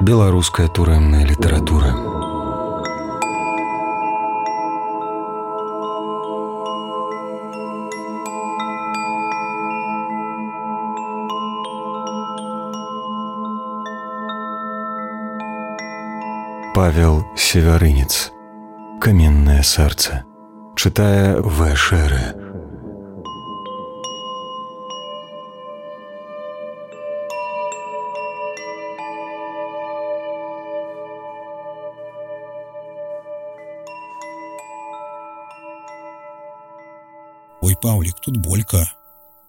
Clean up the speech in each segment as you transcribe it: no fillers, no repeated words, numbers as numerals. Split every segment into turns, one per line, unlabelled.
Беларуская турэмная літаратура. Павел Севярынец. «Каменное сердце». Читая В. Шере.
«Ой, Паўлік, тут болька».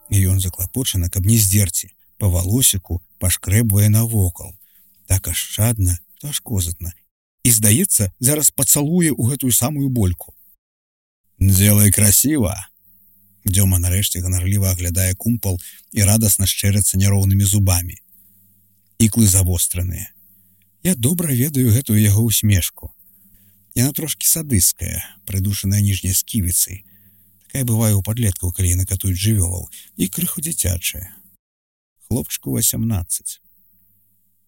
І ён заклапочана, каб не здзерці, па валосіку пашкрэбвае навокал. Так ашчадна, то аж козатна. І, здаецца, зараз пацалуе ў гэтую самую больку. «Делай красиво!» Дзёма нарэшце ганарліва аглядае кумпал і радасна шчэрацца няроўнымі зубамі. Іклы завостраныя. Я добра ведаю гэтую яго усмешку. Яна трошкі садысцкая, прыдушаная ніжняй сківіцай. Такая бывае ў падлеткаў, калі яны катуюць жывёлаў, і крыху дзіцячая. Хлопчыку 18.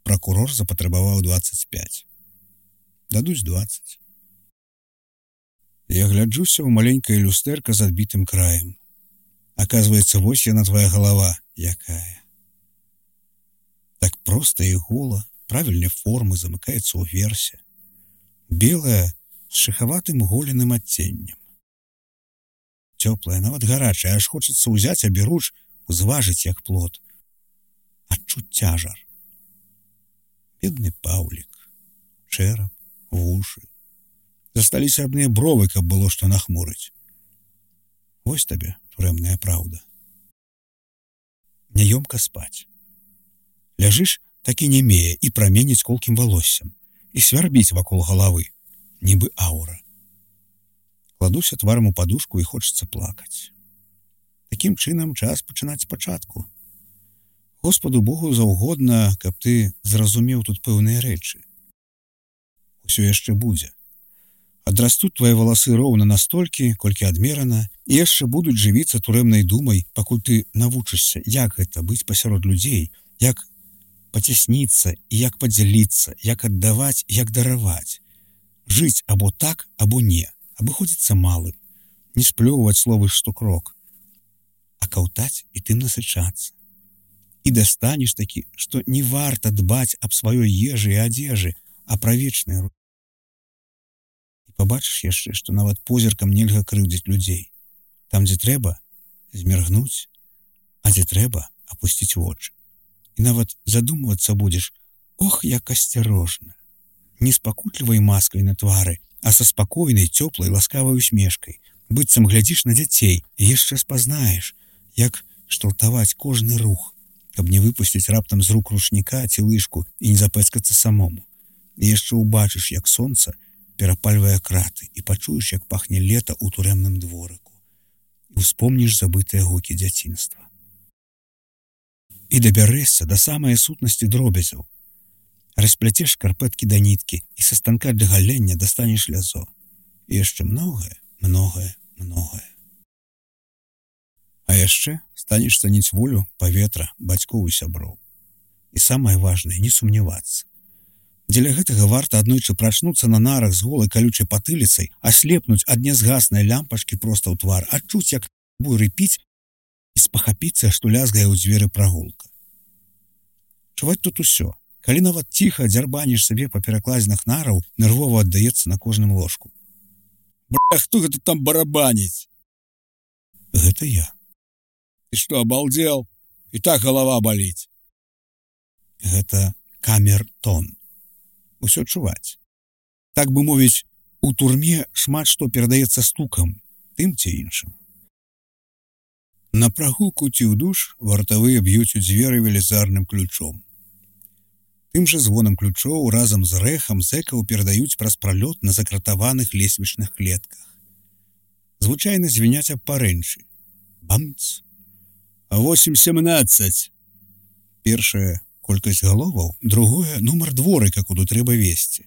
Пракурор запатрабаваў 25. Дадуць 20. Я гляджуся ў маленькае люстэрка з адбітым краем. Аказваецца, вось яна твая галава, якая. Так проста і гола, правільнай формы, замыкаецца ўверсе. Белая, з шыхаватым голеным адценнем. Цёплая, нават гарачая, аж хочацца ўзяць аберуч, узважыць як плод. Адчуць цяжар. Бедны Паўлік. Чэрап, вушы. Засталіся адныя бровы, каб было што нахмурыць. Вось табе турэмная праўда. Няёмка спаць. Ляжыш, так і нямее, і праменіць колкім валоссям, і свярбіць вакол галавы, нібы аўра. Кладуся тварам у падушку і хочацца плакаць. Такім чынам час пачынаць спачатку. Господу Богу заўгодна, каб ты зразумеў тут пэўныя рэчы. Усё яшчэ будзе. Адрастуць твае валасы роўна настолькі, колькі адмерана, і яшчэ будуць жывіцца турэмнай думай, пакуль ты навучышся, як гэта быць пасярод людзей, як пацясніцца і як падзяліцца, як аддаваць, як дараваць. Жыць або так, або не, абыходзіцца малым, не сплёўваць словы штукрок, а каўтаць і тым насычацца. І дастанеш такі, што не варта дбаць аб сваёй ежы і адзежы, а пра вечныя рукі. Пабачыш яшчэ, што нават позіркам нельга крыўдзіць людзей. Там, дзе трэба, зміргнуць, а дзе трэба, апусціць вочы. І нават задумвацца будзеш, ох, як асцярожна. Не з пакутлівай маскай на твары, а са спакойнай, цёплай, ласкавай усмешкай. Быццам глядзіш на дзяцей і яшчэ спазнаеш, як шталтаваць кожны рух, каб не выпусціць раптам з рук ручніка ці лыжку і не запэцкацца самому. І яшчэ ўбачыш, як сонца перапальвае краты, і пачуеш, як пахне лета ў турэмным дворыку. І ўспомніш забытыя гукі дзяцінства. І дабярэшся да самай сутнасці дробязяў. Распляцеш шкарпэткі да ніткі і са станка для галення дастанеш лязо. І яшчэ многае, многае, многае. А яшчэ станеш цаніць волю, паветра, бацькоў і сяброў. І самае важнае, не сумнявацца. Дзеля гэтага варта аднойчы прачнуцца на нарах з голай калючай патыліцай, аслепнуць ад нязгаснай лямпачкі проста ў твар, адчуць, як буры піць і спахапіцца, што лязгае ў дзверы прагулка. Чуваць тут усё. Калі нават ціха дзярбаніш сабе па перакладзінах нараў, нервова аддаецца на кожным ложку. Бля, хто гэта там барабаніць? Гэта я. Ты што, абалдзел? І так галава баліць. Гэта камертон. Усё чуваць. Так бы мовіць, у турме шмат што перадаецца стукам, тым ці іншым. На прагулку ці ў душ вартавыя б'юць у дзверы велізарным ключом. Тым жа звонам ключоў разам з рэхам зэкаў перадаюць праз пралёт на закратаваных лесвічных клетках. Звычайна звіняць аб парэнчы. Бамц! 8-17. Першая колькасць галоваў, другое нумар дворыка, куды трэба весці.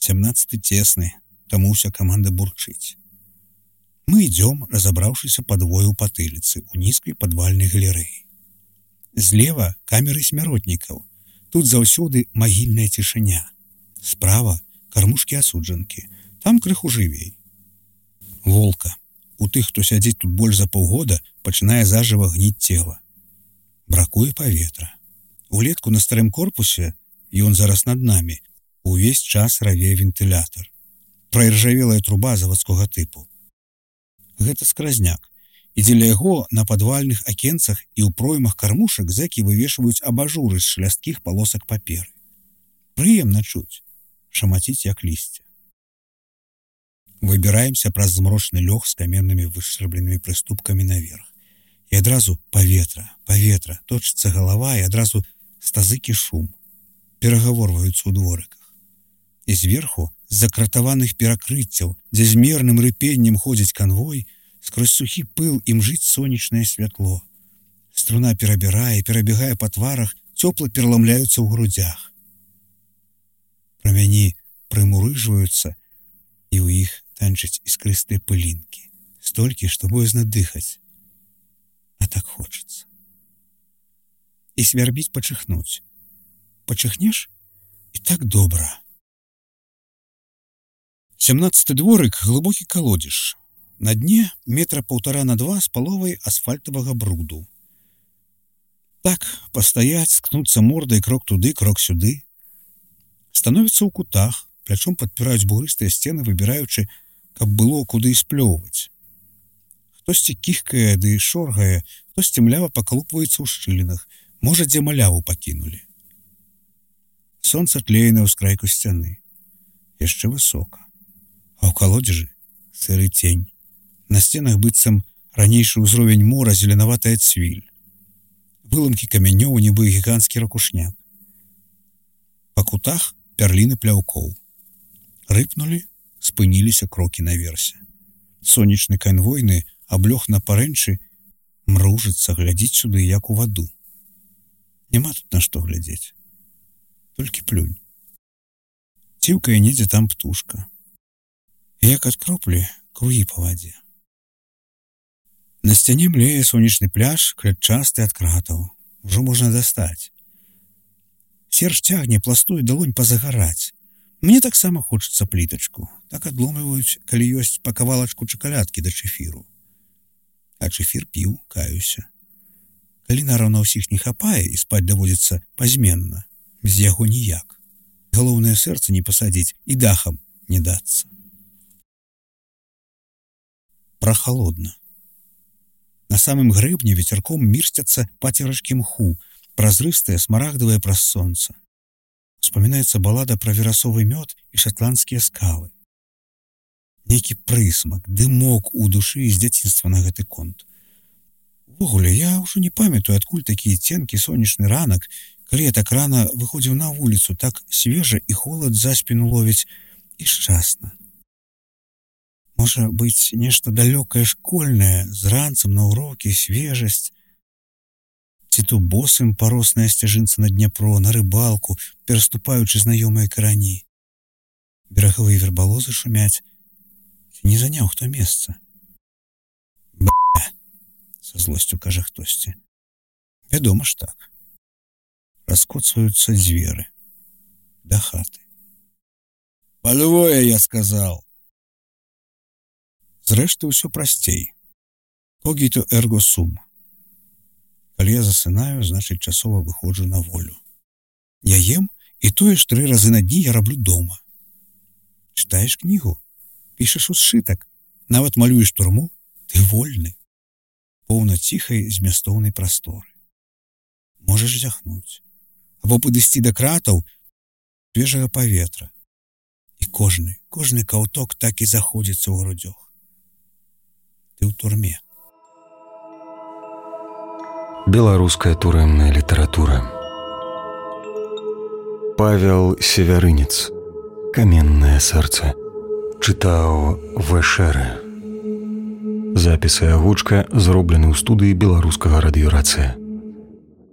17 цесны, таму ўся каманда бурчыць. Мы ідём, разабраўшыся падвое ў патыліцы, у нізкай падвальнай галерэі. Злева камеры смяротнікаў, Тут заўсёды магільная цішыня. Справа кармушкі асуджанкі. Там крыху жывей. Волка. У тых, хто сядзіць тут больш за паўгода, пачынае зажыва гніць цела. Бракуе паветра. Улетку на старым корпусе, ён зараз над намі, увесь час равее вентылятар. Праіржавелая труба завадскога тыпу. Гэта скразняк. І дзеля яго на падвальных акенцах і ў проймах кармушак зэкі вывешваюць абажуры з шлясткіх палосак паперы. Прыемна чуць, шамаціць як лісце. Выбіраемся праз змрочны лёг з каменнымі вышчэрбленымі прыступкамі наверх. І адразу паветра, точыцца галава і адразу стазыкі шум. Перагаворваюцца ў дворыках. І зверху, з-за кратаваных перакрыццяў, дзе з мерным рыпеннем ходзіць канвой, скрозь сухі пыл імжыць сонечнае святло. Струна перабягае па тварах, цёпла пераламляюцца ў грудзях. Прамяні прымурыжваюцца, і ў іх танчаць іскрыстыя пылінкі. Столькі, што боязна дыхаць. А так хочацца. І свярбіць пачыхнуць. Пачыхнеш, і так добра. 17-й дворык — глыбокі калодзеж. На дне метра 1,5 на 2 з паловай асфальтавага бруду. Так, пастаяць, скнуцца мордай крок туды, крок сюды. Становіцца ў кутах, плячом падпіраюць бугрыстыя сцены, выбіраючы, каб было куды сплёўваць. Хтосьці кіхкае ды шоргае, хтосьці млява пакалупваецца ў шчылінах, можа, дзе маляву пакінулі. Сонца тлее на ўскрайку сцяны. Яшчэ высока. А ў калодзежы сыры цень. На сценах быццам ранейшы ўзровень мора зеленаватая цвіль. Выламкі камянёў, нібы гіганцкі ракушняк. Па кутах пярліны пляўкоў. Рыпнулі, спыніліся крокі наверсе. Сонечны канвойны аблёг на парэнчы, мружыцца, глядзіць сюды, як у ваду. Няма тут на што глядзець. Толькі плюнь. Ціўкае недзе там птушка. Як ад кроплі кругі па вадзе. На сцяне млее сонечны пляж, клятчасты ад кратаў. Ужо можна дастаць. Серж цягне, пластуе далонь пазагараць. Мне таксама хочацца плітачку. Так адломліваюць, калі ёсць па кавалачку чакалядкі да чэфіру. А чэфір піў, каюся. Калі нараўна ўсіх не хапае і спаць даводзіцца пазменна, без яго ніяк. Галоўнае сэрца не пасадзіць і дахам не дацца. Прахалодна. На самым грэбні вецярком мірсцяцца пацерачкі мху, празрыстыя, смарагдавыя праз сонца. Успамінаецца балада пра верасовы мёд і шатландскія скалы. Нейкі прысмак, дымок у душы з дзяцінства на гэты конт. Увогуле, я ўжо не памятаю, адкуль такі ценкі сонечны ранак, калі я так рана выходзіў на вуліцу, так свежа і холад за спіну ловіць і шчасна. Можа быць, нешта далёкае школьнае, з ранцам на ўрокі, свежасць. Ці то босым паросная сцяжынца на Дняпро, на рыбалку, пераступаючы знаёмыя карані. Берагавыя вербалозы шумяць. Ці не заняў хто месца? Б***, са злосцю кажа хтосьці. Вядома ж так. Раскоцваюцца дзверы. Да хаты. Палювое, я сказал. Зрэшты, ўсё прасцей. Когіто эрго сум. Калі я засынаю, значыць, часова выходжу на волю. Я ем, і тое ж 3 разы на дні я раблю дома. Чытаеш кнігу, пішаш усшытак, нават малюеш турму, ты вольны. Поўна ціхай змястоўнай прасторы. Можаш зяхнуць. Або падысці да кратаў свежага паветра. І кожны каўток так і заходзіцца ў грудзях. Ты ў турме.
Беларуская турэмная літаратура. Павел Севярынец. Каменнае сэрца. Чытаў В.Ш. Запіс і агучка зроблены ў студыі беларускага радыёрацыя.